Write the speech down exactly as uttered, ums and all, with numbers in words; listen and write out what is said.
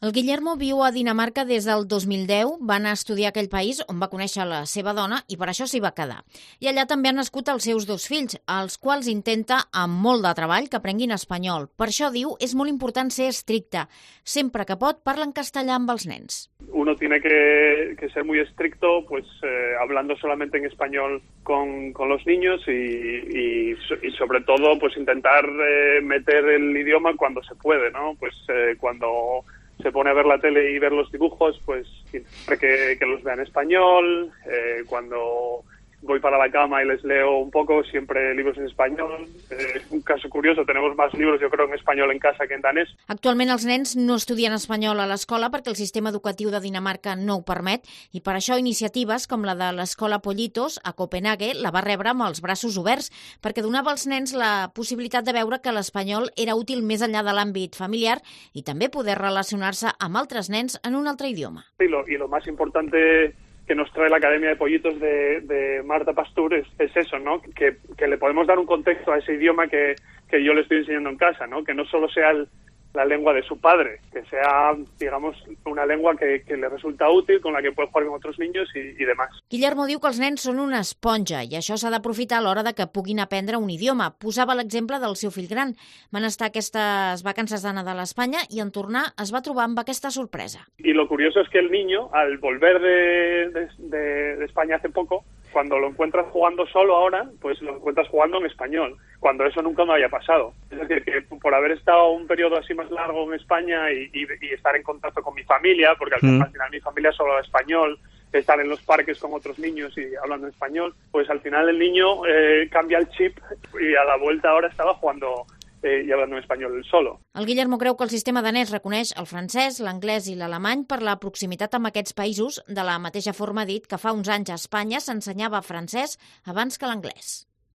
El Guillermo viu a Dinamarca des del dos mil deu, va anar a estudiar a aquell país on va conèixer la seva dona i per això s'hi va quedar. I allà també han nascut els seus dos fills, als quals intenta, amb molt de treball, que aprenguin espanyol. Per això, diu, és molt important ser estricte. Sempre que pot, parla en castellà amb els nens. Uno tiene que, que ser muy estricto, pues eh, hablando solamente en español con, con los niños y, y, y sobre todo pues intentar eh, meter el idioma cuando se puede, ¿no? Pues eh, cuando se pone a ver la tele y ver los dibujos, pues siempre que, que los vea en español. Eh, cuando voy para la cama y les leo un poco, siempre libros en español. Eh, un caso curioso, tenemos más libros, yo creo, en español en casa que en danès. Actualment els nens no estudien espanyol a l'escola perquè el sistema educatiu de Dinamarca no ho permet i per això iniciatives com la de l'escola Pollitos a Copenhague la va rebre amb els braços oberts perquè donava als nens la possibilitat de veure que l'espanyol era útil més enllà de l'àmbit familiar i també poder relacionar-se amb altres nens en un altre idioma. Y lo, y lo más importante que nos trae la Academia de Pollitos de, de Marta Pastur es, es eso, ¿no? Que, que le podemos dar un contexto a ese idioma que, que yo le estoy enseñando en casa, ¿no? Que no solo sea el, la lengua de su padre, que sea, digamos, una lengua que, que le resulta útil, con la que puede jugar con otros niños y, y demás. Guillermo diu que els nens són una esponja i això s'ha d'aprofitar a l'hora de que puguin aprendre un idioma. Posava l'exemple del seu fill gran. Van estar aquestes vacances de Nadal a Espanya i en tornar es va trobar amb aquesta sorpresa. Y lo curioso es que el niño, al volver de, de, de, de España hace poco, cuando lo encuentras jugando solo ahora, pues lo encuentras jugando en español, cuando eso nunca me había pasado. Es decir, que por haber estado un periodo así más largo en España y, y, y estar en contacto con mi familia, porque al, mm. al final mi familia solo habla español, estar en los parques con otros niños y hablando español, pues al final el niño eh, cambia el chip y a la vuelta ahora estaba jugando eh, y hablando en español solo. El Guillermo creu que el sistema danès reconeix el francès, l'anglès i l'alemany per la proximitat amb aquests països, de la mateixa forma ha dit que fa uns anys a Espanya s'ensenyava francès abans que l'anglès.